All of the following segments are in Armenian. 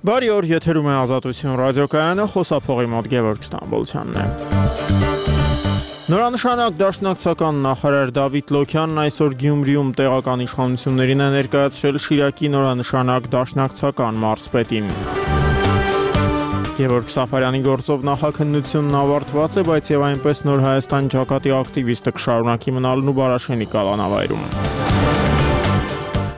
Բարի օր, եթերում է Ազատություն ռադիոկայանը, խոսափողի մոտ Գևորգ Ստամբոլցյանն է։ Նորանշանակ դաշնակցական նախարար Դավիթ Լոքյանն այսօր Գյումրիում տեղական իշխանություններին է ներկայացրել Շիրակի նորանշանակ դաշնակցական մարզպետին։ Գևորգ Սաֆարյանի գործով նախաքննությունն ավարտված է, բայց եւ այնպես Նոր Հայաստան ջակատի ակտիվիստը կշարունակի մնալն ու Բարաշենի կալանավայրում։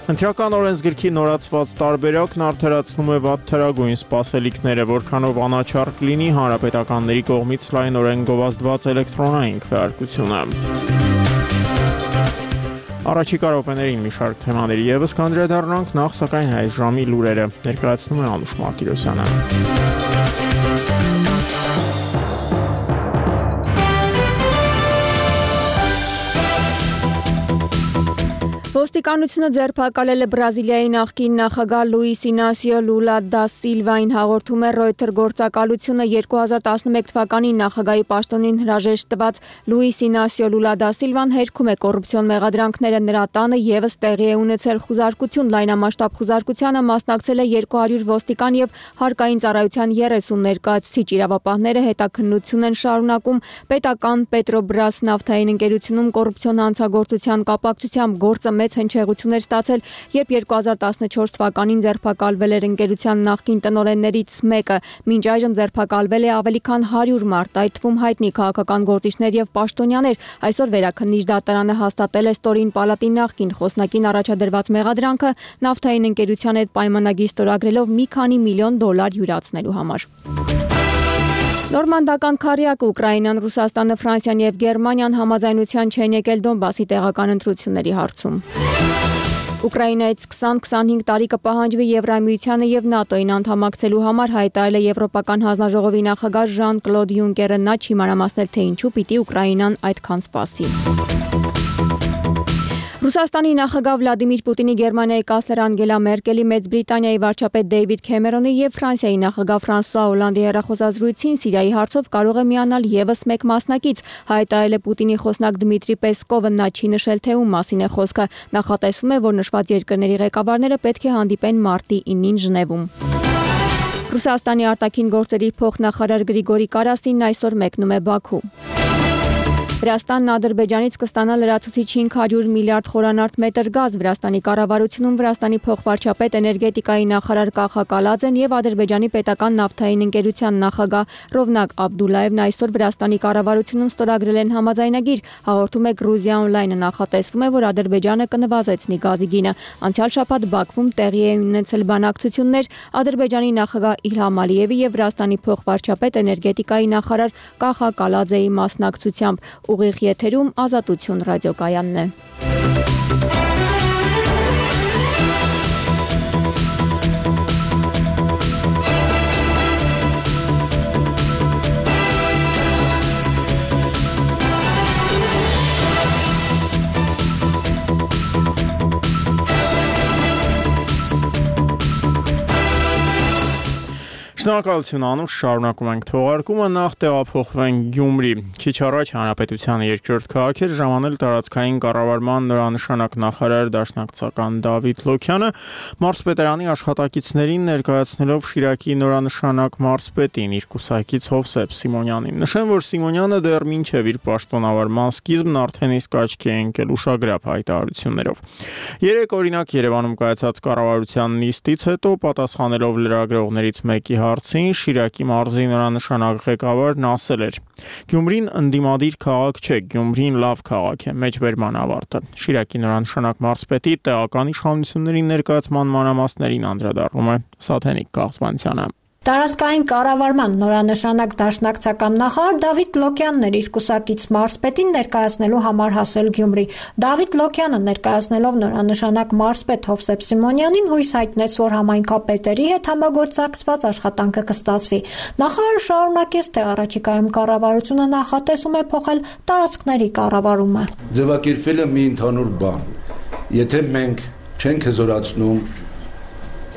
Ընտրական օրենսգրքի նորացված տարբերակն արդարացնում է վատ թերագույն սպասելիքները, որքանով անաչառ կլինի հանրապետականների կողմից լայնորեն գովազդված էլեկտրոնային քվեարկությունը։ Առաջիկա րոպեներին մի շարք թեմաների ևս կանդրադառնանք, նախ սակայն այս ժամի լուրերը ներկայացնում է Անուշ Մարտիրոսյանը։ Ոստիկանությունը ձերբակալել է Բրազիլիայի նախկին նախագահ Լուիս Ինասիո Լուլա դա Սիլվային, հաղորդում է Reuters գործակալությունը 2011 թվականին նախագահի պաշտոնին հրաժեշտ տված Լուիս Ինասիո Լուլա դա Սիլվան հերքում է կոռուպցիոն մեղադրանքները, նրա տանը եւս տեղի է ունեցել խուզարկություն, լայնամասշտաբ խուզարկությանը մասնակցել է 200 ոստիկան եւ հարկային ծառայության 30 ներկայացուցիչ, իրավապահները հետաքննություն են շարունակում պետական Պետրոբրաս նավթային ընկերությունում կոռուպցիոն հանցագործության կապակցությամբ գործը մեծ հնչեղություն էր ստացել, երբ 2014 թվականին ձերբակալվել էր ընկերության նախկին տնօրեններից մեկը, մինչ այժմ ձերբակալվել է ավելի քան 100 մարդ, այդ թվում հայտնի քաղաքական գործիչներ եւ պաշտոնյաներ։ Այսօր վերաքննիչ դատարանը հաստատել է ստորին պալատի նախկին խոսնակին առաջադրված մեղադրանքը նավթային ընկերության հետ պայմանագիր ստորագրելով մի քանի միլիոն դոլար յուրացնելու համար։ Նորմանդական քարյակը Ուկրաինան, Ռուսաստանը, Ֆրանսիան եւ Գերմանիան համաձայնության չեն եկել Դոնբասի տեղական ընտրությունների հարցում։ Ուկրաինայից 20-25 տարի կպահանջվի Եվրամիությանը եւ ՆԱՏՕ-ին անդամակցելու համար, հայտարարել է Եվրոպական հանձնաժողովի նախագահ Ժան-Կլոդ Յունկերը, նա չի մանրամասնել, թե ինչու պիտի Ուկրաինան այդքան սպասի։ Ռուսաստանի նախագահ Վլադիմիր Պուտինի, Գերմանիայի կանցլեր Անգելա Մերկելի, Մեծ Բրիտանիայի վարչապետ Դեյվիդ Քեմերոնի եւ Ֆրանսիայի նախագահ Ֆրանսուଆ Օլանդի հեռախոսազրույցին Սիրիայի հարցով կարող է միանալ եւս մեկ մասնակից, հայտարարել է Պուտինի խոսնակ Դմիտրի Պեսկովը, նա չի նշել, թե ում մասին է խոսքը, նախատեսվում է, որ նշված երկրների ղեկավարները պետք է հանդիպեն մարտի 9-ին Ժնևում։ Ռուսաստանի արտաքին գործերի փոխնախարար Գրիգորի Կարասինն այսօր մեկնում է Բաքու։ Վրաստանն Ադրբեջանից կստանա լրացուցիչ 500 միլիարդ խորանարդ մետր գազ։ Վրաստանի կառավարությունում Վրաստանի փոխվարչապետ էներգետիկայի նախարար Կախա Կալաձեն եւ Ադրբեջանի պետական նավթային ընկերության նախագահ Ռովնակ Աբդուլլաևն այսօր Վրաստանի կառավարությունում ստորագրել են համաձայնագիր, հաղորդում է Գրուզիա Օնլայնը, նախատեսվում է, որ Ադրբեջանը կնվազեցնի գազի գինը։ Անցյալ շաբաթ Բաքվում տեղի էին ունեցել բանակցություններ Ադրբեջանի նախագահ Իլհամ Ալիևի եւ Վրաստանի փոխվարչապետ էներգետիկայի նախարար Կախա Կալաձեի մասնակցությամբ։ Ուղիղ եթերում Ազատություն ռադիոկայանն է։ Շնորհակալություն Անուշ, շարունակում ենք թողարկումը, նախ տեղափոխվենք Գյումրի։ Քիչ առաջ Հանրապետության երկրորդ քաղաք էր ժամանել տարածքային կառավարման նորանշանակ նախարար դաշնակցական Դավիթ Լոքյանը, մարզպետարանի աշխատակիցներին ներկայացնելով Շիրակի նորանշանակ մարզպետին, իր կուսակից Հովսեփ Սիմոնյանին։ Նշեմ, որ Սիմոնյանը դեռ մինչև իր պաշտոնավարման սկիզբն արդեն իսկ աչքի է ընկել ուշագրավ հայտարարություններով։ Երեք օրինակ Երևանում կայացած կառավարության նիստից հետո պատասխանելով լրագրողներից մեկի հարցին Շիրակի մարզի նորանշանակ ղեկավարն ասել էր. Գյումրին ընդդիմադիր քաղաք չէ, Գյումրին լավ քաղաք է, մեջբերման ավարտը։ Շիրակի նորանշանակ մարզպետի տեղական իշխանությունների ներկայացման մանրամասներին անդրադառնում է Սաթենիկ Կաղցմանցյանը։ Տարածքային կառավարման նորանշանակ դաշնակցական նախարար Դավիթ Լոքյանն էր իր կուսակից մարզպետին ներկայացնելու համար հասել Գյումրի։ Դավիթ Լոքյանը ներկայացնելով նորանշանակ մարզպետ Հովսեփ Սիմոնյանին հույս հայտնեց, որ համայնքապետերի հետ համագործակցված աշխատանքը կստացվի։ Նախարարը շարունակեց, թե առաջիկայում կառավարությունը նախատեսում է փոխել տարածքների կառավարումը։ Ձևակերպվել է մի ընդհանուր բան։ Եթե մենք չենք հզորացնում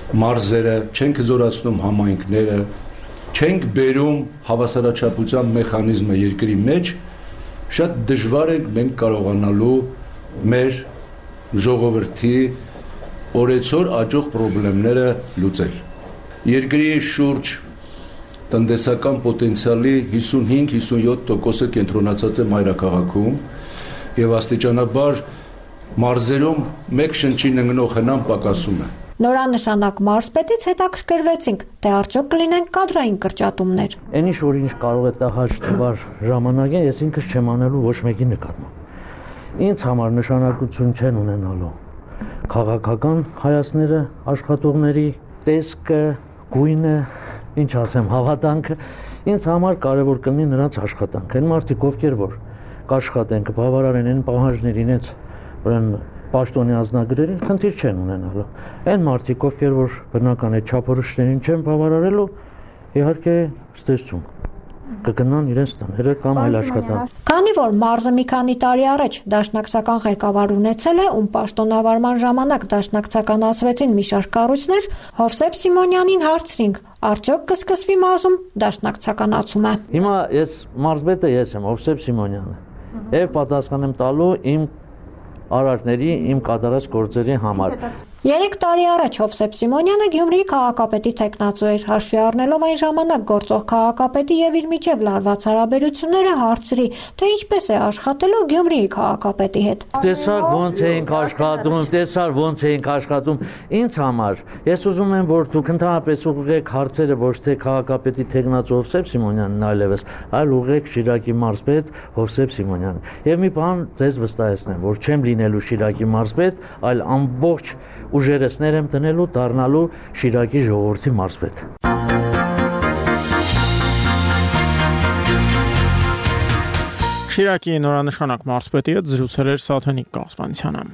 մարզերը, չենք զորացնում համայնքները, չենք բերում հավասարաչափության մեխանիզմը երկրի մեջ, շատ դժվար է մենք կարողանալու մեր ժողովրդի օրեցօր աճող խնդիրները լուծել։ Երկրի շուրջ տնտեսական պոտենցիալի 55-57%-ը կենտրոնացած է մայրաքաղաքում եւ աստիճանաբար մարզերում մեկ շնչին ընկնող հնան պակասում է։ Նորանշանակ մարզպետից հետաքրքրվեցինք, թե արդյոք կլինեն կադրային կրճատումներ։ Այն ինչ կարող է տահաճ թվար ժամանակին, ես ինքս չեմ անելու ոչ մեկի նկատմամբ։ Ինձ համար նշանակություն չեն ունենալու քաղաքական հայացքները, աշխատողների տեսքը, գույնը, ինչ ասեմ, հավատանքը, ինձ համար կարևոր կլինի նրանց աշխատանքը։ Այն մարդիկ, ովքեր որ կաշխատեն, կբավարարեն այն պահանջներին, ուրեմն պաշտոնի անձնագրերին, խնդիր չեն ունենալու։ Այն մարդիկ, ովքեր որ բնական այդ չափորոշիչներին չեն բավարարելու, իհարկե ստեսում կգնան իրենց տները կամ այլ աշխատանք։ Քանի որ մարզը մի քանի տարի առաջ դաշնակցական ղեկավար ունեցել է, ում պաշտոնավարման ժամանակ դաշնակցականացվեցին մի շարք կառույցներ, Հովսեփ Սիմոնյանին հարցրինք, արդյոք կսկսվի մարզում դաշնակցականացումը։ Հիմա ես մարզպետը ես եմ, Հովսեփ Սիմոնյանը, եւ պատասխան եմ տալու իմ արարքների, իմ կատարած գործերի համար։ 3 տարի առաջ Հովսեփ Սիմոնյանը Գյումրիի քաղաքապետի տեխնացու էր, հաշվի առնելով այն ժամանակ գործող քաղաքապետի եւ իր միջև լարված հարաբերությունները հարցրի, թե ինչպես է աշխատելու Գյումրիի քաղաքապետի հետ։ Տեսար ոնց էինք աշխատում, ինձ համար ես ուզում եմ, որ դուք ընդհանրապես ուղղեք հարցերը ոչ թե քաղաքապետի տեխնացու Հովսեփ Սիմոնյանն այլևս, այլ ուղղեք Շիրակի մարզպետ Հովսեփ Սիմոնյանին։ Եվ մի բան ձեզ վստահեցնեմ, որ չեմ լինելու Շիրակի մարզպետ, այլ ամբողջ ուժերս եմ տնելու դառնալու Շիրակի ժողովրդի մարզպետ։ Շիրակի նորանշանակ մարզպետի հետ զրուցել էր Սաթենիկ Կազվանցյանը։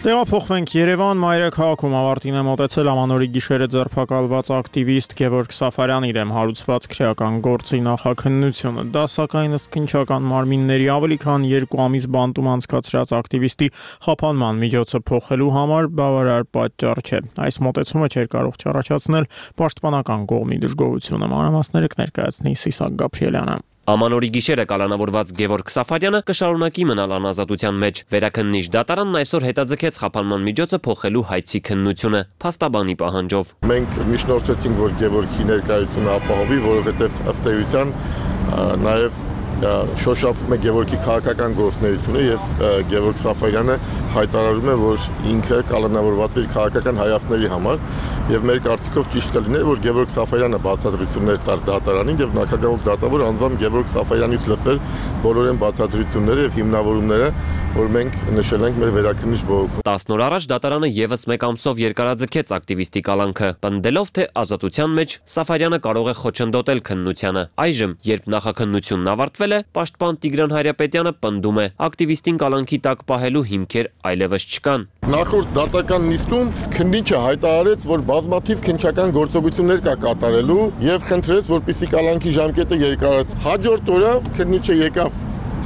Տեղափոխվենք Երևան, մայրաքաղաքում ավարտին է մոտեցել ամանորի գիշերը ձերբակալված ակտիվիստ Գևորգ Սաֆարյանի դեմ հարուցված քրեական գործի նախաքննությունը։ Դա սակայն ըստ քննչական մարմինների ավելի քան 2 ամիս բանտում անցկացրած ակտիվիստի խափանման միջոցը փոխելու համար բավարար պատճառ չէ։ Այս մոտեցումը չէր կարող չառաջացնել պաշտպանական կողմի դժգոհությունը։ Մանրամասները կներկայացնի Սիսակ Գաբրիելյանը։ Ամանորի գիշերը կալանավորված Գևորգ Սաֆարյանը կշարունակի մնալ անազատության մեջ։ Վերաքննիչ դատարանն այսօր հետաձգեց խափանման միջոցը փոխելու հայցի քննությունը փաստաբանի պահանջով։ Մենք միջնորդեցինք, որ Գևորգի ներկայությունը ապահովի, որովհետև ըստ էության նաև շոշափում է Գևորգի քաղաքական գործունեությունը եւ Գևորգ Սաֆարյանը հայտարարում է, որ ինքը կալանավորված է իր քաղաքական հայացքների համար եւ մեր կարծիքով ճիշտ կլիներ, որ Գևորգ Սաֆարյանը բացատրություններ տար դատարանին եւ նախագահող դատավոր անձամբ Գևորգ Սաֆարյանից լսել բոլորեն բացատրությունները եւ հիմնավորումները, որ մենք նշել ենք մեր վերաքննիչ բողոքում։ 10 օր առաջ դատարանը եւս մեկ ամսով երկարաձգեց ակտիվիստի կալանքը, պնդելով, թե ազատության մեջ Սաֆարյանը կարող է խոչընդոտել քննությանը։ Այժմ, երբ նախաքննությունն ավարտվել է, պաշտպան Տիգրան Հայրապետյանը պնդում է, ակտիվիստին կալանքի տակ պահելու հիմքեր այլևս չկան։ Նախորդ դատական նիստում քննիչը հայտարարեց, որ բազմաթիվ քննչական գործողություններ կա կատարելու եւ խնդրեց, որպեսզի կալանքի ժամկետը երկարացվի։ Հաջորդ օրը քննիչը եկավ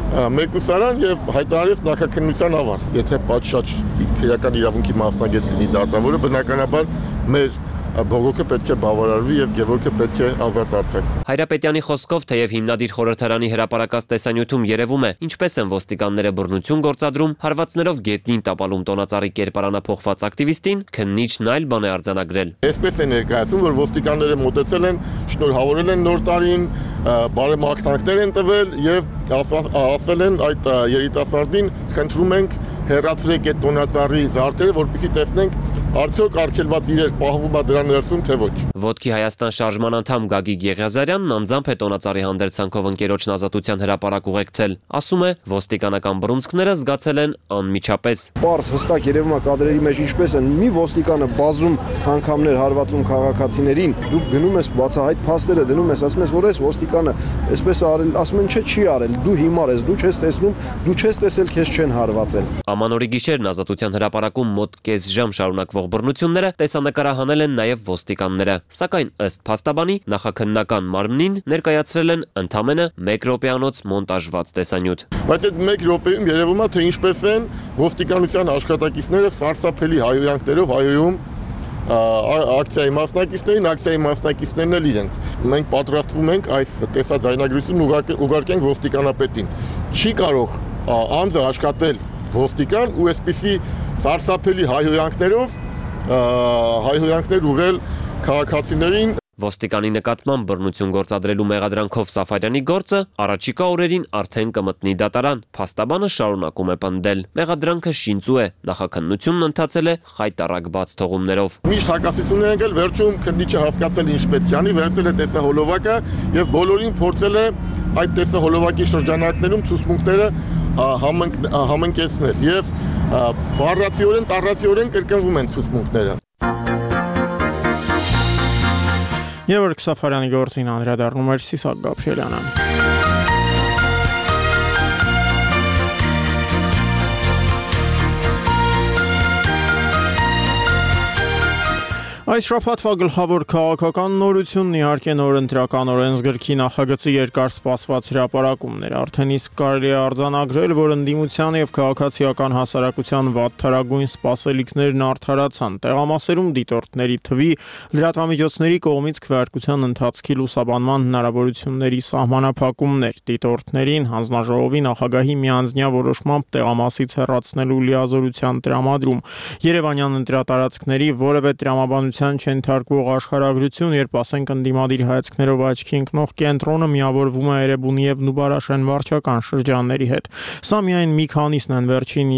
մեկուսարան եւ հայտարարեց նախաքննության ավարտ։ Եթե պատշաճ քրեական իրավունքի մասնագետ լինի դատավորը, բնականաբար մեր բողոքը պետք է բավարարվի եւ Գևորգը պետք է ազատ արձակվի։ Հայրապետյանի խոսքով, թեև հիմնադիր խորհրդարանի հրապարակած տեսանյութում երևում է, ինչպես են ոստիկանները բռնություն գործադրում, հարվածներով գետնին տապալում տոնածառի կերպարանափոխված ակտիվիստին, քննիչն այլ բան է արձանագրել։ Այսպես է ներկայացում, որ ոստիկանները մոտեցել են, շնորհավորել են նոր տարին, բարեմաղթանքներ են տվել եւ ասել են այդ երիտասարդին, խնդրում ենք հեռացրեք այդ տոնածառի զարդերը, որպեսզի տեսնենք արդյոք արգելված իրեր պահվում է դրա ներսում, թե ոչ։ Ոտքի Հայաստան շարժման անդամ Գագիկ Եղիազարյանն անձամբ է տոնածառի հանդերձանքով ընկերոջն ազատության հրապարակ ուղեկցել։ Ասում է, ոստիկանական բռունցքները զգացել են անմիջապես։ Պարզ հստակ երևում է կադրերի մեջ ինչպես են մի ոստիկանը բազում անգամներ հարվածում քաղաքացիներին, դու գնում ես բացահայտ փաստերը դնում ես, ասում ես, որ այս ոստիկանը այսպես արել, ասում են, չէ, չի արել, դու հիմար ես, դու չես տեսնում, դու չես տեսել, քեզ չեն հարվածել։ Ամանորի գիշերն ազատության հրապարակում մոտ կես ժամ շարունակվող բռնությունները տեսանկարահանել են նաև ոստիկանները, սակայն ըստ փաստաբանի նախաքննական մարմնին ներկայացրել են ընդամենը 1 րոպեանոց մոնտաժված տեսանյութ։ Բայց այդ 1 րոպեում երևում է, թե ինչպես են ոստիկանության աշխատակիցները սարսափելի հայոյանքներով հայոյում ակցիայի մասնակիցներն էլ իրենց։ Մենք պատրաստվում ենք այս տեսաձայնագրությունն ուղարկենք ոստիկանապետին։ Չի կարող անձը աշխատել ոստիկան ու այսպիսի սարսափելի հայհոյանքներ ուղղել քաղաքացիներին։ Ոստիկանի նկատմամբ բռնություն գործադրելու մեղադրանքով Սաֆարյանի գործը առաջիկա օրերին արդեն կմտնի դատարան, փաստաբանը շարունակում է պնդել։ Մեղադրանքը շինծու է, նախաքննությունն ընթացել է խայտառակ բաց թողումներով։ Միշտ հակասություն է եղել, վերջում քննիչը հասկացել ինչ պետք է անի, վերցել է տեսահոլովակը եւ բոլորին փորձել է այդ տեսահոլովակի շրջանակներում ցուցմունքները համընկեցնել եւ բառացիորեն, տառացիորեն կրկնվում են ցուցմունքները։ Եվորգ Սաֆարյանի գործին անդրադառնում էր Սիսակ Գաբրիելյանը։ Այս շաբաթվա գլխավոր քաղաքական նորությունն իհարկե նոր ընտրական օրենսգրքի նախագծի երկար սպասված հրապարակումն էր։ Արդեն իսկ կարելի է արձանագրել, որ ընդդիմության եւ քաղաքացիական հասարակության վատթարագույն սպասելիքներն արդարացան։ Տեղամասերում դիտորդների թվի, լրատվամիջոցների կողմից քվեարկության ընթացքի լուսաբանման հնարավորությունների սահմանափակումներ, դիտորդներին հանձնաժողովի նախագահի միանձնյա որոշմամբ տեղամասից հեռացնելու լիազորության տրամադրում, Երևանյան ընտրատարածքների որևէ տրամաբանություն չենթարկվող աշխարհագրություն, երբ ասենք ընդդիմադիր հայացքներով աչքի ընկնող կենտրոնը միավորվում է Էրեբունի եւ Նուբարաշեն վարչական շրջանների հետ։ Սա միայն մի քանիսն են վերջին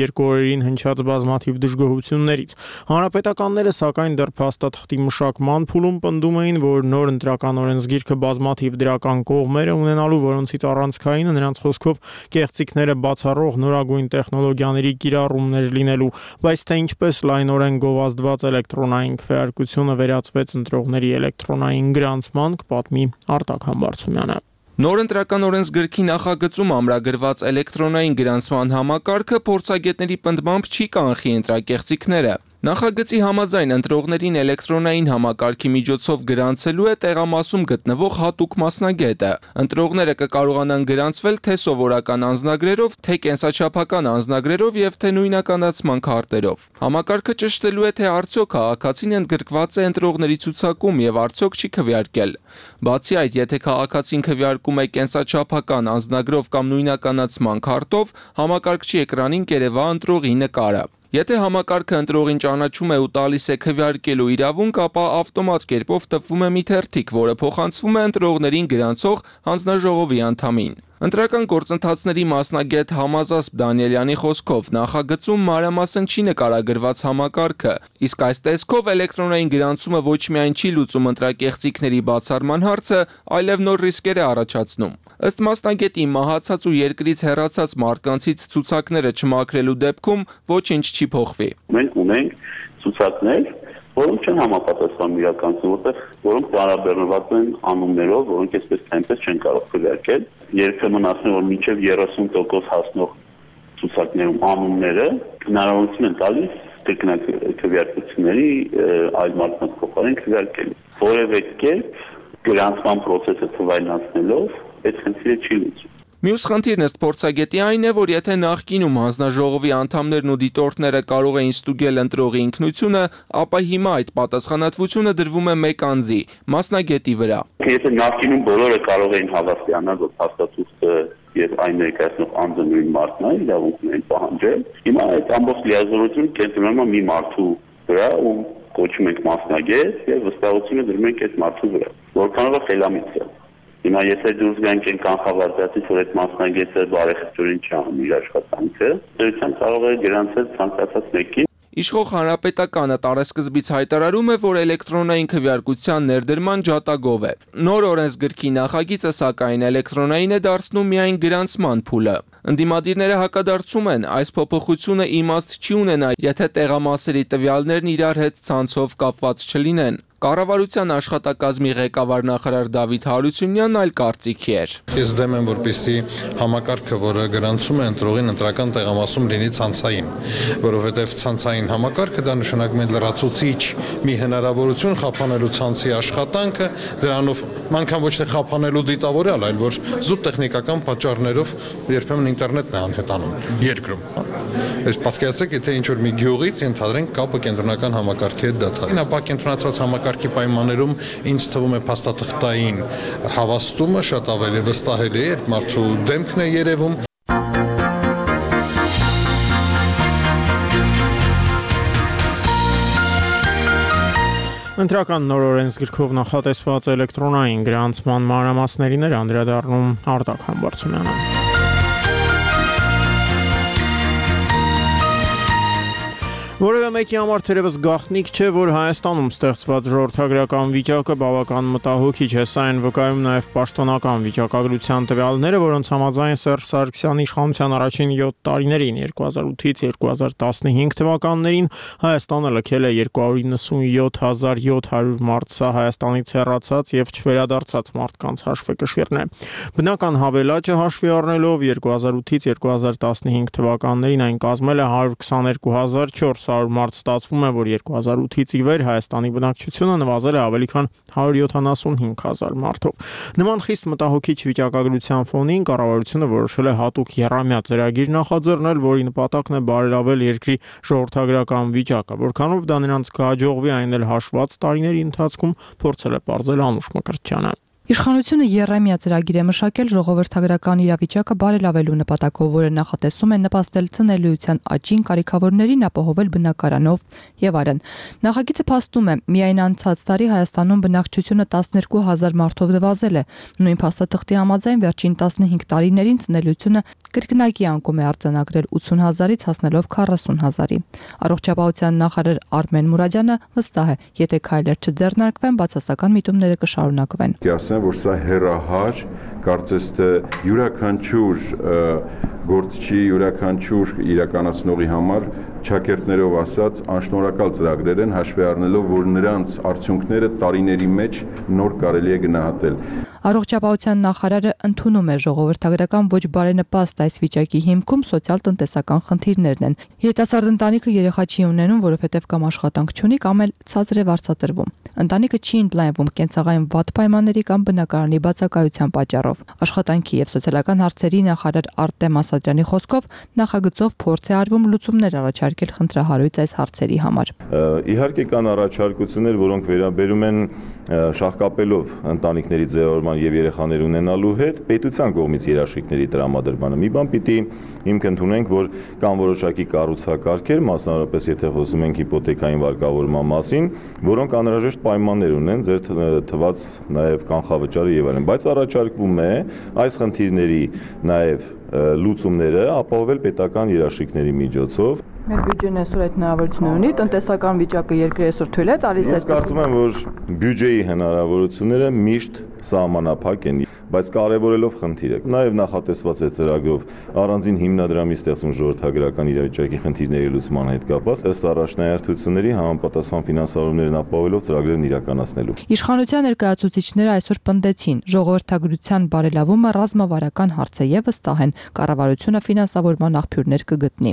երկու օրերին հնչած բազմաթիվ դժգոհություններից։ Հանրապետականները սակայն դեռ փաստաթղթի մշակման փուլում պնդում էին, որ նոր ընտրական օրենսգիրքը բազմաթիվ դրական կողմեր է ունենալու, որոնցից առանցքայինը նրանց խոսքով կեղծիքները բացառող նորագույն տեխնոլոգիաների կիրառումներ լինելու, բայց թե ինչպես լայնորեն գովազդված էլեկտրոնային քվեարկությունը վերածվեց ընտրողների էլեկտրոնային գրանցման, կպատմի Արտակ Համբարձումյանը։ Նոր ընտրական օրենսգրքի նախագծում ամրագրված էլեկտրոնային գրանցման համակարգը փորձագետների պնդմամբ չի կանխի ընտրակեղծիքները։ Նախագծի համաձայն ընտրողներին էլեկտրոնային համակարգի միջոցով գրանցելու է տեղամասում գտնվող հատուկ մասնագետը։ Ընտրողները կկարողանան գրանցվել թե սովորական անձնագրերով, թե կենսաչափական անձնագրերով եւ թե նույնականացման քարտերով։ Համակարգը ճշտելու է, թե արդյոք քաղաքացին ընդգրկված է ընտրողների ցուցակում եւ արդյոք չի քվեարկել։ Բացի այդ, եթե քաղաքացին քվեարկում է կենսաչափական անձնագրով կամ նույնականացման քարտով, համակարգչի էկրանին կերևա ընտրողի նկարը։ Եթե համակարգը ընտրողին ճանաչում է ու տալիս է քվեարկելու իրավունք, ապա ավտոմատ կերպով տպվում է մի թերթիկ, որը փոխանցվում է ընտրողներին գրանցող հանձնաժողովի անդամին։ Ընտրական գործընթացների մասնագետ Համազասպ Դանիելյանի խոսքով նախագծում մանրամասն չի նկարագրված համակարգը, իսկ այս տեսքով էլեկտրոնային գրանցումը ոչ միայն չի լուծում ընտրակեղծիքների բացառման հարցը, այլև նոր ռիսկեր է առաջացնում։ Ըստ մասնագետի, մահացած ու երկրից հեռացած մարդկանցից ցուցակները չմաքրելու դեպքում ոչինչ չի փոխվի։ Մենք ունենք ցուցակներ, որոնք չեն համապատասխանում իրականություն, որոնք տարաբերված են անուններով, որոնք այսպես թե այնպես չեն կարող քվեարկել։ Երբեմն ասում են, որ մինչև 30% հասնող ցուցակներում անունները հնարավորություն են տալիս կրկնակ քվեարկությունների այլ մարդկանց փոխարեն քվեարկել։ Որևէ կերպ գրանցման process-ը թվայնացնելով այդ խնդիրը չի լուծում։ Մյուս խնդիրն ըստ փորձագետի այն է, որ եթե նախկինում հանձնաժողովի անդամներն ու դիտորդները կարող էին ստուգել ընտրողի ինքնությունը, ապա հիմա այդ պատասխանատվությունը դրվում է մեկ անձի, մասնագետի վրա։ Եթե նախկինում բոլորը կարող էին հավաստիանալ, որ փաստաթուղթը եւ այն ներկայացնող անձը նույն մարդն է, իրավունք ունեն պահանջել, հիմա այդ ամբողջ լիազորությունը կենտրոնում է մի մարդու վրա ու կոչում ենք մասնագետ եւ վստահությունը դրում ենք այդ մարդու վրա, որքանով է խելամիտ է։ Հիմա եթե դուրս գանք են կանխավարկածից, որ այդ մասնագետը բարեխիղճորեն չանում իր աշխատանքը, դրության կարող է գրանցել ցանկացած մեկին։ Իշխող Հանրապետականը տարեսկզբից հայտարարում է, որ էլեկտրոնային քվեարկության ներդրման ջատագով է։ Նոր օրենսգրքի նախագիծը սակայն էլեկտրոնային է դարձնում միայն գրանցման փուլը։ Ընդդիմադիրները հակադարձում են, այս փոփոխությունը իմաստ չի ունենա, եթե տեղամասերի տվյալներն իրար հետ ցանցով կապված չլինեն։ Կառավարության աշխատակազմի ղեկավար նախարար Դավիթ Հարությունյանն այլ կարծիքի էր։ Ես դեմ եմ, որպեսզի համակարգը, որը գրանցում է ընտրողին ընտրական տեղամասում լինի ցանցային, որովհետև ցանցային համակարգը դա նշանակում է լրացուցիչ մի հնարավորություն խափանելու ցանցի աշխատանքը, դրանով անգամ ոչ թե խափանելու դիտավորյալ, այլ որ զուտ տեխնիկական պատճառներով երբեմն ինտերնետն է անհետանում երկրում։ Այս պատկերացրեք, եթե ինչ-որ մի գյուղից ընդհանրենք կապը կենտրոնական համակարգի հետ դադարի, ապա կենտրոնացված համակարգի պայմաններում ինձ թվում է փաստաթղթային հավաստումը շատ ավելի վստահելի է, մարդու դեմքն է երևում։ Ընտրական նոր օրենսգրքով նախատեսված էլեկտրոնային գրանցման մանրամասներին էր անդրադառնում Արտակ Համբարձումյանը։ Որևէ մեկի համար թերևս գաղտնիք չէ, որ Հայաստանում ստեղծված ժողովրդագրական վիճակը բավական մտահոգիչ է, սա այն վկայում նաև պաշտոնական վիճակագրության տվյալները, որոնց համաձայն Սերժ Սարգսյանի իշխանության առաջին 7 տարիներին 2008-ից 2015 թվականներին Հայաստանը լքել է 297,700 մարդ, սա Հայաստանից հեռացած եւ չվերադարձած մարդկանց հաշվեկշիռն է։ Բնական հավելաճը հաշվի առնելով 2008-ից 2015 թվականներին այն կազմել է 122,400 մարդ, ստացվում է, որ 2008-ից ի վեր Հայաստանի բնակչությունը նվազել է ավելի քան 175,000 մարդով։ Նման խիստ մտահոգիչ վիճակագրության ֆոնին կառավարությունը որոշել է հատուկ եռամյա ծրագիր նախաձեռնել, որի նպատակն է բարելավել երկրի ժողովրդագրական վիճակը, որքանով դա նրանց կհաջողվի, այն էլ հաշված տարիների ընթացքում, փորձել է պարզել Անուշ Մկրտչյանը։ Իշխանությունը եռամյա ծրագիր է մշակել ժողովրդագրական իրավիճակը բարելավելու նպատակով, որը նախատեսում է նպաստել ցնելիության աճին, կարիքավորներին ապահովել բնակարանով եւ այլն։ Նախագիծը փաստում է, միայն անցած տարի Հայաստանում բնակչությունը 12,000 մարդով նվազել է։ Նույն փաստաթղթի համաձայն վերջին 15 տարիներին ցնելիությունը կրկնակի անկում է արձանագրել 80,000-ից հասնելով 40,000-ի։ Առողջապահության նախարար Արմեն Մուրադյանը վստահ է, եթե քայլեր չձեռնարկվեն, բացասական միտումները կշարունակվեն։ Որ սա հերահար, կարծես թե յուրաքանչյուր գործչի, յուրաքանչյուր իրականացնողի համար ճակերտներով ասած անշնորհակալ ծրագրեր են, հաշվի առնելով, որ նրանց արդյունքները տարիների մեջ նոր կարելի է գնահատել։ Առողջապահության նախարարը ընդունում է ժողովրդագրական ոչ բարենպաստ այս վիճակի հիմքում սոցիալ-տնտեսական խնդիրներն են։ Երիտասարդ ընտանիքը երեխա չի ունենում, որովհետև կամ աշխատանք չունի, կամ էլ ցածր է վարձատրվում։ Ընտանիքը չի ընդլայնվում կենցաղային վատ պայմանների կամ բնակարանի բացակայության պատճառով։ Աշխատանքի եւ սոցիալական հարցերի նախարար Արտեմ Ասատրյանի խոսքով նախագծով փորձ է արվում լուծումներ առաջարկել խնդրահարույց այս հարցերի համար։ Իհարկե կան առաջարկություններ, որոնք վերաբերում են շահկապելով ընտանիքների ձևավորման եւ երեխաներ ունենալու հետ պետության կողմից երաշխիքների տրամադրմանը։ Մի բան պիտի հիմք ընդունենք, որ կան որոշակի կառուցակարգեր, մասնավորապես եթե խոսում ենք հիպոթեկային վարկավորման մասին, որոնք անհրաժեշտ պայմաններ ունեն, ձեր թված նաեւ կանխավճարը եւ այլն, բայց առաջարկվում է այս խնդիրների նաեւ լուծումները ապահովել պետական երաշխիքների միջոցով։ Մեր բյուջեն այսօր այդ հնարավորությունները ունի, տնտեսական վիճակը երկրի այսօր թույլ է տալիս։ Ես կարծում եմ, որ բյուջեի հնարավորությունները միշտ սահմանափակ են, բայց կարևորելով խնդիրը։ Նաև նախատեսված է ծրագրով առանձին հիմնադրամի ստեղծում ժողովրդագրական իրավիճակի խնդիրների լուծման հետ կապված, ըստ առաջնահերթությունների համապատասխան ֆինանսավորումներն ապահովելով ծրագրերն իրականացնելու։ Իշխանության ներկայացուցիչները այսօր պնդեցին, ժողովրդագրության բարելավումը ռազմավարական հարց է եւ վստահ են, կառավարությունը ֆինանսավորման աղբյուրներ կգտնի։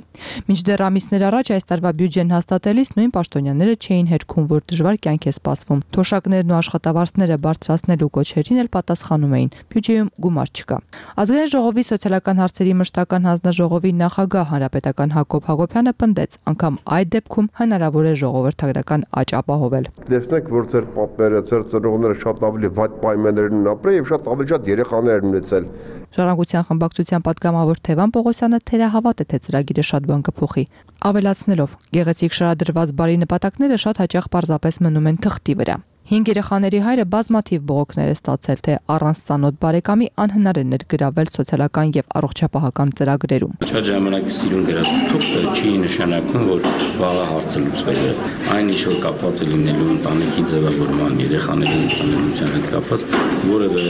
Մինչդեռ ամիսներ առաջ այս տարվա բյուջեն հաստատելիս նույն պաշտոնյաները չէին հերքում, որ դժվար կյանք է սպասվում։ Թոշակներն ու աշխատավարձները բարձրացնելու կոչերին էլ պատասխանում էին։ Բյուջեում գումար չկա։ Ազգային ժողովի սոցիալական հարցերի մշտական հանձնաժողովի նախագահ հանրապետական Հակոբ Հակոբյանը պնդեց, անգամ այդ դեպքում հնարավոր է ժողովրդագրական աճ ապահովել։ Տեսնեք, որ ձեր պապերը, ձեր ծնողները շատ ավելի վատ պայմաններում են ապրել եւ շատ ավելի շատ երեխաներ են ունեցել։ Ժառանգության խմբակցության պատգամավոր Թևան Պողոսյանը թերահավատ է, թե ծրագիրը շատ բան կփոխի, ավելացնելով, գեղեցիկ շարադրված բարի նպատակները շատ հաճախ պարզապես մնում են թղթի վրա։ 5 երեխաների հայրը բազմաթիվ բողոքներ է ստացել, թե առանց ծանոթ բարեկամի անհնար է ներգրավել սոցիալական եւ առողջապահական ծրագրերում։ Շատ ժամանակ սիրուն գրած թուղթը չի նշանակում, որ վաղը հարցը լուծվել է։ Այն ինչ որ կապված է լինելու ընտանիքի ձևավորման, երեխաների ծանոթության հետ կապված, որևէ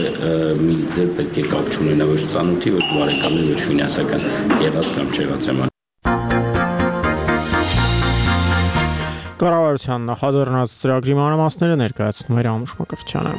մի ձեր պետք է կապ չունենա ոչ ծանոթի, ոչ բարեկամի, ոչ ֆինանսական եղած կամ չեղած եմ։ Կառավարության նախաձեռնած ծրագրի մանրամասները ներկայացնում էր Անուշ Մկրտչյանը։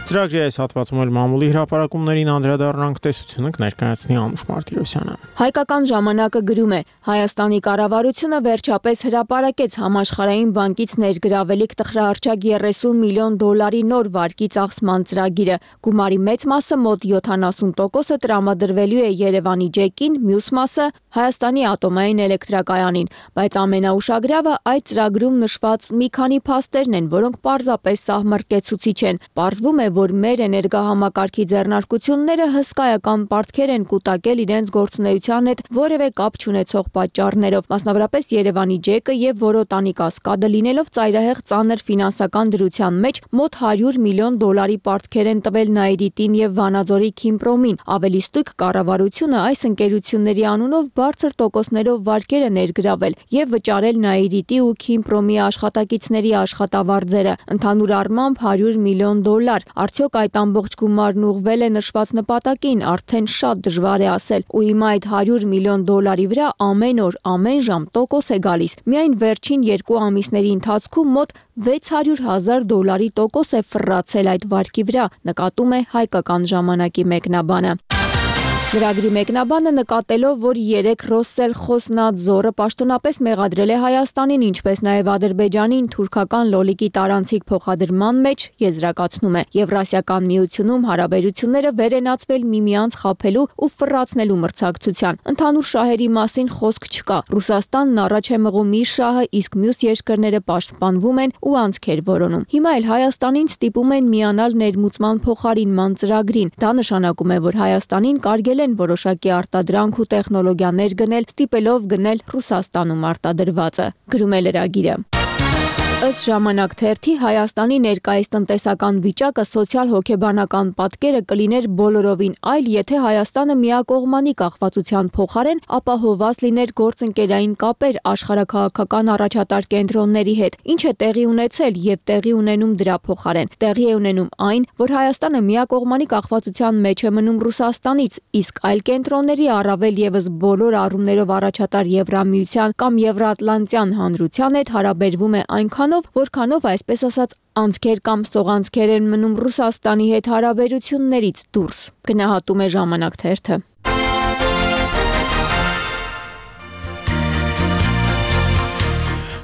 Ծրագրի այս հատվածում էլ մամուլի հրապարակումներին անդրադառնանք, տեսությունը կներկայացնի Անուշ Մարտիրոսյանը։ Հայկական ժամանակը գրում է. Հայաստանի կառավարությունը վերջապես հրապարակեց համաշխարհային բանկից ներգրավելիք տխրահարճակ 30 միլիոն դոլարի նոր վարկի ծախսման ծրագիրը։ Գումարի մեծ մասը մոտ 70%-ը տրամադրվելու է Երևանի ջեկին, մյուս մասը Հայաստանի ատոմային էլեկտրակայանին, բայց ամենաուշագրավը այդ ծրագրում նշված մի քանի փաստերն են, որոնք պարզապես սահմռկեցուցիչ են։ Պարզվում է, որ որ մեր էներգահամակարգի ձեռնարկությունները հսկայական պարտքեր են կուտակել իրենց գործունեության հետ որևէ կապ չունեցող պատճառներով, մասնավորապես Երևանի ջեկը եւ Որոտանի կասկադը լինելով ծայրահեղ ծանր ֆինանսական դրության մեջ մոտ $100 միլիոն պարտքեր են տվել Նաիրիտին եւ Վանաձորի Քիմպրոմին։ Ավելի ստույգ կառավարությունը այս ընկերությունների անունով բարձր տոկոսներով վարկեր է ներգրավել եւ վճարել Նաիրիտի ու Քիմպրոմի աշխատակիցների աշխատավարձերը։ Ընդհանուր առմամբ $100 միլիոն։ Արդյոք այդ ամբողջ գումարն ուղղվել է նշված նպատակին, արդեն շատ դժվար է ասել։ Ու հիմա այդ $100 միլիոն վրա ամեն օր, ամեն ժամ տոկոս է գալիս։ Միայն վերջին 2 ամիսների ընթացքում մոտ $600,000 տոկոս է ֆռացել այդ վարկի վրա, նկատում է Հայկական ժամանակի մեկնաբանը։ Լրագրի մեկնաբանը նկատելով, որ 3 Ռոսսել Խոսնաձորը պաշտոնապես մեղադրել է Հայաստանին, ինչպես նաև Ադրբեջանին թուրքական լոլիկի տարանցիկ փոխադրման մեջ, եզրակացնում է Եվրասիական միությունում հարաբերությունները վերենացվել միմյանց խաբելու ու ֆռացնելու մրցակցության։ Ընդհանուր շահերի մասին խոսք չկա։ Ռուսաստանն առաջ է մղում իր շահը, իսկ մյուս երկրները պաշտպանվում են ու անցքեր որոնում։ Հիմա էլ Հայաստանին ստիպում են միանալ ներմուծման փոխարինման ծրագրին։ Դա նշանակում է, որ Հայաստանին կարգել են որոշակի արտադրանք ու տեխնոլոգիաներ գնել, ստիպելով գնել Ռուսաստանում արտադրվածը, գրում է լրագիրը։ Ըստ ժամանակ թերթի Հայաստանի ներկայիս տնտեսական վիճակը սոցիալ-հոգեբանական պատկերը կլիներ բոլորովին այլ, եթե Հայաստանը միակողմանի կախվածության փոխարեն ապահովված լիներ գործընկերային կապեր աշխարհաքաղաքական առաջատար կենտրոնների հետ, ինչ է տեղի ունեցել եւ տեղի ունենում դրա փոխարեն։ Տեղի է ունենում այն, որ Հայաստանը միակողմանի կախվածության մեջ է մնում Ռուսաստանից, իսկ այլ կենտրոնների առավել եւս բոլոր առումներով առաջատար Եվրամիության կամ Եվրաատլանտյան հանրության հետ հարաբերվում է այնքան որքանով այսպես ասած անցքեր կամ սողանցքեր են մնում Ռուսաստանի հետ հարաբերություններից դուրս, գնահատում է ժամանակ թերթը։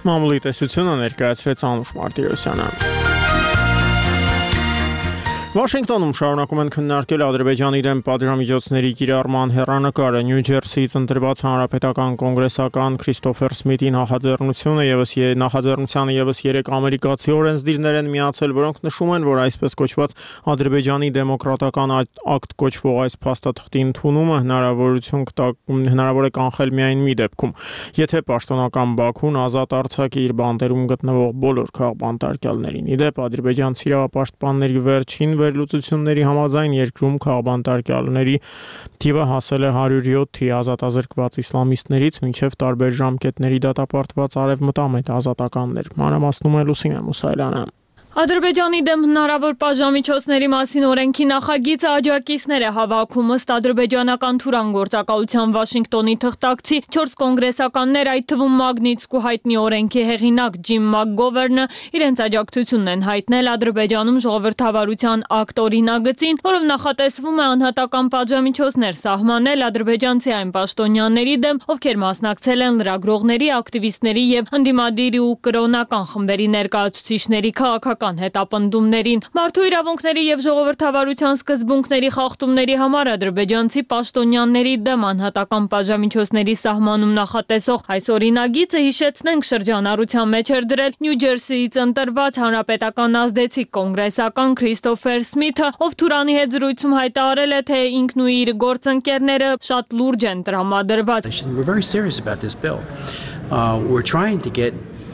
Մամուլի տեսությունը ներկայացրեց Անուշ Մարտիրոսյանը։ Վաշինգտոնում շարունակում են քննարկել Ադրբեջանի դեմ պատժամիջոցների կիրառման հեռանկարը։ Նյու Ջերսիից ընտրված հանրապետական կոնգրեսական Քրիստոֆեր Սմիթի նախաձեռնությանը եւս 3 ամերիկացի օրենսդիրներ են միացել, որոնք նշում են, որ այսպես կոչված Ադրբեջանի դեմոկրատական ակտ կոչվող այս փաստաթղթի ընդունումը հնարավոր է կանխել միայն մի դեպքում, եթե պաշտոնական Բաքուն ազատ արձակի իր բանտերում գտնվող բոլոր քաղբանտարկյալներին։ Իդեպ ադրբեջանցի իրավապաշտպանների վերջին վերլուծությունների համաձայն երկրում քաղբանտարկյալների թիվը հասել է 107-ի, ազատազրկված իսլամիստներից մինչև տարբեր ժամկետների դատապարտված արևմտամետ ազատականներ։ Մանրամասնում է Լուսինե Մուսայելյանը։ Ադրբեջանի դեմ հնարավոր պատժամիջոցների մասին օրենքի նախագիծը աջակիցներ է հավաքում ըստ ադրբեջանական Թուրան գործակալության Վաշինգտոնի թղթակցի 4 կոնգրեսականներ, այդ թվում Մագնիտսկու հայտնի օրենքի հեղինակ Ջիմ Մակգովերնը իրենց աջակցությունն են հայտնել Ադրբեջանում ժողովրդավարության ակտ օրինագծին, որով նախատեսվում է անհատական պատժամիջոցներ սահմանել ադրբեջանցի այն պաշտոնյաների դեմ, ովքեր մասնակցել են լրագրողների, ակտիվիստների եւ ընդդիմադիր ու կրոնական խմբերի ներկայացուցիչների քաղաքական հետապնդումներին։ Մարդու իրավունքների եւ ժողովրդավարության սկզբունքների խախտումների համար ադրբեջանցի պաշտոնյաների դեմ անհատական պատժամիջոցների սահմանում նախատեսող այս օրինագիծը, հիշեցնենք, շրջանառության մեջ էր դրել Նյու Ջերսիից ընտրված հանրապետական ազդեցիկ կոնգրեսական Քրիստոֆեր Սմիթը, ով Թուրանի հետ զրույցում հայտարարել է, թե ինքն ու իր գործընկերները շատ լուրջ են տրամադրված։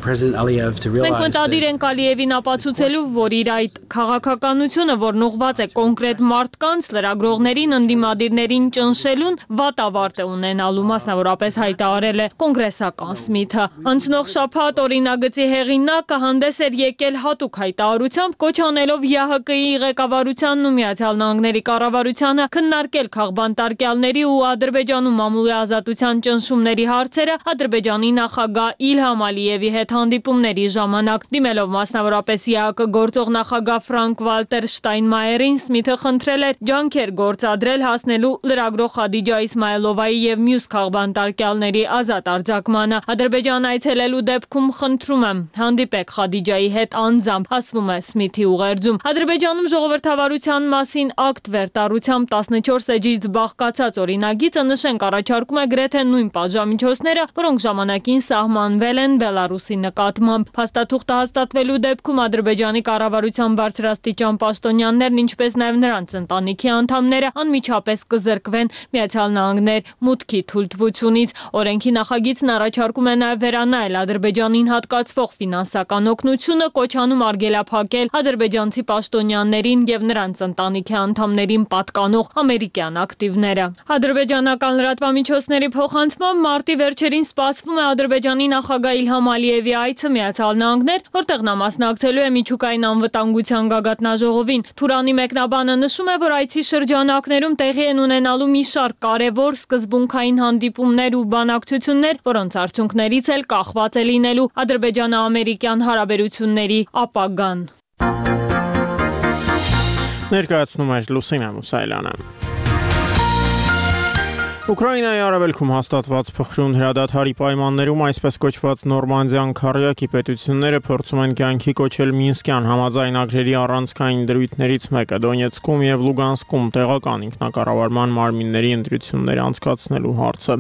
Մենք մտադիր ենք Ալիևին ապացուցելու, որ իր այդ քաղաքականությունը, որն ուղղված է կոնկրետ մարդկանց, լրագրողներին, ընդդիմադիրներին ճնշելուն, վատ ավարտ է ունենալու, մասնավորապես հայտարարել է կոնգրեսական Սմիթը։ Անցնող շաբաթ օրինագծի հեղինակը հանդես էր եկել հատուկ հայտարարությամբ, կոչ անելով ՀՀԿ-ի ղեկավարությանն ու Միացյալ Նահանգների կառավարությանը քննարկել քաղբանտարկյալների ու Ադրբեջանում մամուլի ազատության ճնշումների հարցերը Ադրբեջանի նախագահ Իլհամ Ալիևի հետ հանդիպումների ժամանակ, դիմելով մասնավորապես ԵԱԿ գործող նախագահ Ֆրանկ Վալտեր Շտայնմայերին, Սմիթը խնդրել է ջանքեր գործադրել հասնելու լրագրող Խադիջա Իսմայելովայի եւ մյուս քաղբանտարկյալների ազատ արձակմանը։ Ադրբեջան այցելելու դեպքում խնդրում եմ, հանդիպեք Խադիջայի հետ անձամբ, ասվում է Սմիթի ուղերձում։ Ադրբեջանում ժողովրդավարության մասին ակտ վերտառությամբ 14 էջից բաղկացած օրինագիծը, նշենք, առաջարկում է գրեթե նույն պատժամիջոցները, որոնք ժամանակին սահմանվել են Բելարուսի նկատմամբ։ Փաստաթուղթը հաստատվելու դեպքում Ադրբեջանի կառավարության բարձրաստիճան պաշտոնյաներն, ինչպես նաև նրանց ընտանիքի անդամները անմիջապես կզրկվեն Միացյալ Նահանգներ մուտքի թույլտվությունից։ Օրենքի նախագիծն առաջարկում է նաև վերանայել Ադրբեջանին հատկացվող ֆինանսական օգնությունը, կոչանում արգելափակել ադրբեջանցի պաշտոնյաներին եւ նրանց ընտանիքի անդամներին պատկանող ամերիկյան ակտիվները։ Ադրբեջանական լրատվամիջոցների փոխանցմամբ մարտի վերջերին սպասվում է Ադրբեջանի նախագահ Իլհամ Ալիևի այցը Միացյալ Նահանգներ, որտեղ նա մասնակցելու է միջուկային անվտանգության գագաթնաժողովին։ Թուրանի մեկնաբանը նշում է, որ այցի շրջանակներում տեղի են ունենալու մի շարք կարևոր սկզբունքային հանդիպումներ ու բանակցություններ, որոնց արդյունքներից էլ կախված է լինելու ադրբեջանա-ամերիկյան հարաբերությունների ապագան։ Ներկայացնում է Լուսինա Մուսայելյանը։ Ուկրաինայի արևելքում հաստատված փխրուն հրադադարի պայմաններում այսպես կոչված Նորմանդիան քարյակի պետությունները փորձում են կյանքի կոչել Մինսկյան համաձայնագրերի առանցքային դրույթներից մեկը Դոնեցկում եւ Լուգանսկում տեղական ինքնակառավարման մարմինների ընտրություններ անցկացնելու հարցը։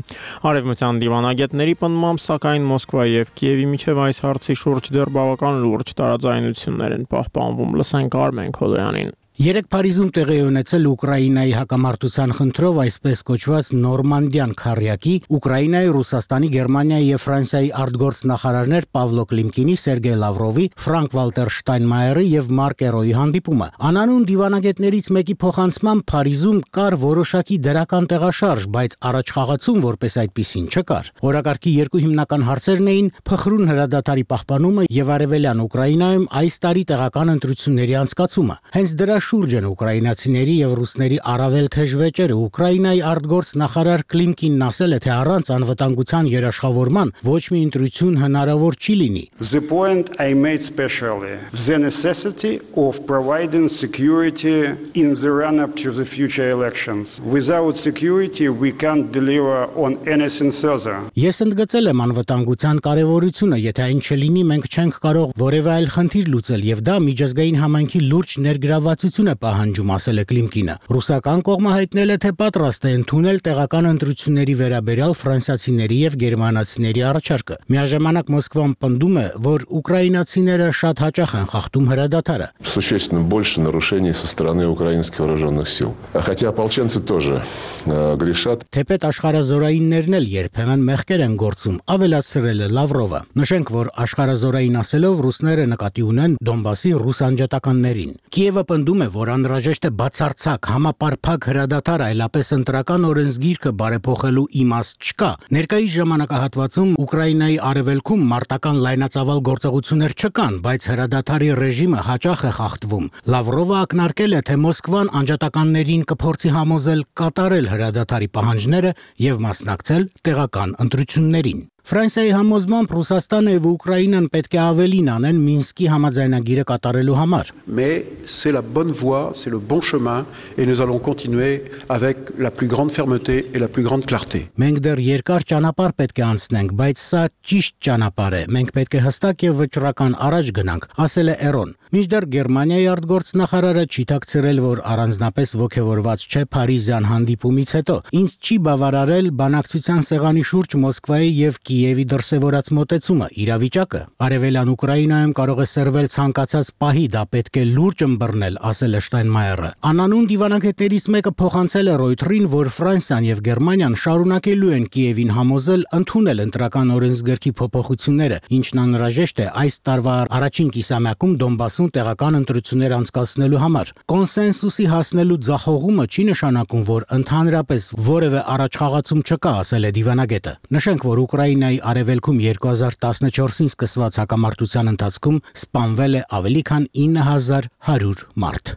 Արևմտյան դիվանագետների պնդմամբ, սակայն Մոսկվայի եւ Կիևի միջև այս հարցի շուրջ դեռ բավական լուրջ տարաձայնություններ են պահպանվում։ Լսենք Արմեն Քոլոյանին։ Երեք Փարիզում տեղի ունեցել Ուկրաինայի հակամարտության խնդրով այսպես կոչված Նորմանդիան քարյակի Ուկրաինայի, Ռուսաստանի, Գերմանիայի եւ Ֆրանսիայի արտգործնախարարներ Պավլո Կլիմկինի, Սերգեյ Լավրովի, Ֆրանկ Վալտեր Շտայնմայերի եւ Մարկ Էրոյի հանդիպումը։ Անանուն դիվանագետներից մեկի փոխանցմամբ Փարիզում կար որոշակի դրական տեղաշարժ, բայց առաջխաղացում որպես այդպիսին չկար։ Օրակարգի երկու հիմնական հարցերն էին փխրուն հրադադարի պահպանումը եւ արևելյան Ուկրաինայում այս տարի տեղական ընտրությունների անցկացումը։ Հենց դրա շուրջ են ուկրաինացիների եւ ռուսների առավել թեժ վեճերը։ Ուկրաինայի արտգործնախարար Կլիմկինն ասել է, թե առանց անվտանգության երաշխավորման ոչ մի ընտրություն հնարավոր չի լինի։ The point I made specially the necessity of providing security in the run-up to the future elections. Without security we can't deliver on anything further. Ես ընդգծել եմ անվտանգության կարևորությունը, եթե այն չլինի, մենք չենք կարող որևէ այլ խնդիր լուծել եւ դա միջազգային համայնքի լուրջ ներգրավվածություն է պահանջում, ասել է Կլիմկինը։ Ռուսական կողմը հայտնել է, թե պատրաստ է ընդունել տեղական ընտրությունների վերաբերյալ ֆրանսիացիների եւ գերմանացիների առաջարկը։ Միաժամանակ Մոսկվան պնդում է, որ ուկրաինացիները շատ հաճախ են խախտում հրադադարը։ Существенно больше нарушений со стороны украинских вооруженных сил. Хотя ополченцы тоже грешат. Թեպետ աշխարհազորայիններն էլ երբեմն մեղքեր են գործում, ավելացրել է Լավրովը։ Նշենք, որ աշխարհազորային ասելով ռուսները նկատի ունեն Դոնբասի ռուս անջատականներին։ Կիևը պնդում է, որ անհրաժեշտ է բացարձակ համապարփակ հրադադար, այլապես ընտրական օրենսգիրքը բարեփոխելու իմաստ չկա։ Ներկայիս ժամանակահատվածում Ուկրաինայի արևելքում մարտական լայնածավալ գործողություններ չկան, բայց հրադադարի ռեժիմը հաճախ է խախտվում։ Լավրովը ակնարկել է, թե Մոսկվան անջատականներին կփորձի համոզել կատարել հրադադարի պահանջները եւ մասնակցել տեղական ընտրություններին։ Ֆրանսիայի համոզմամբ Ռուսաստանը եւ Ուկրաինան պետք է ավելին անեն Մինսկի համաձայնագիրը կատարելու համար։ Mais c'est la bonne voie, c'est le bon chemin et nous allons continuer avec la plus grande fermeté et la plus grande clarté. Մենք դեռ երկար ճանապարհ պետք է անցնենք, բայց սա ճիշտ ճանապարհ է։ Մենք պետք է հստակ եւ վճռական առաջ գնանք, ասել է Էրոն։ Մինչդեռ Գերմանիայի արտգործնախարարը չի ཐակցրել, որ առանձնապես ողջավորված չէ Փարիզյան հանդիպումից հետո։ Ինձ չի բավարարել բանակցության սեղանի շուրջ Մոսկվայի եւ Կիևի դրսևորած մոտեցումը, իրավիճակը արևելյան Ուկրաինայում կարող է սրվել ցանկացած պահի, դա պետք է լուրջ ըմբռնել, ասել է Շտայնմայերը։ Անանուն դիվանագետներից մեկը փոխանցել է Ռոյթերին, որ Ֆրանսիան եւ Գերմանիան շարունակելու են Կիևին համոզել ընդունել ընտրական օրենսգրքի փոփոխությունները, ինչն անհրաժեշտ է այս տարվա առաջին կիսամյակում Դոնբասում տեղական ընտրություններ անցկացնելու համար։ Կոնսենսուսի հասնելու ձախողումը չի նշանակում, որ ընդհանրապես որևէ առաջխաղացում չկա, ասել է դիվանագետը։ Նշենք, որ Ուկրաինայի արևելքում 2014-ին սկսված հակամարտության ընթացքում սպանվել է ավելի քան 9100 մարդ։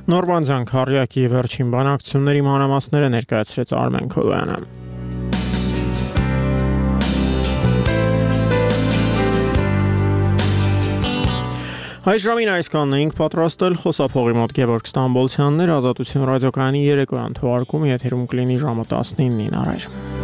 Նորմանդիան քարյակի վերջին բանակցությունների մանրամասները ներկայացրեց Արմեն Քոլոյանը։ Այս ժամին այսքանն էինք պատրաստել, խոսափողի մոտ Գևորգ Ստամբոլցյանն էր, Ազատություն ռադիոկայանի երեկոյան թողարկումը եթերում կլինի ժամը 19-ին առայժմ։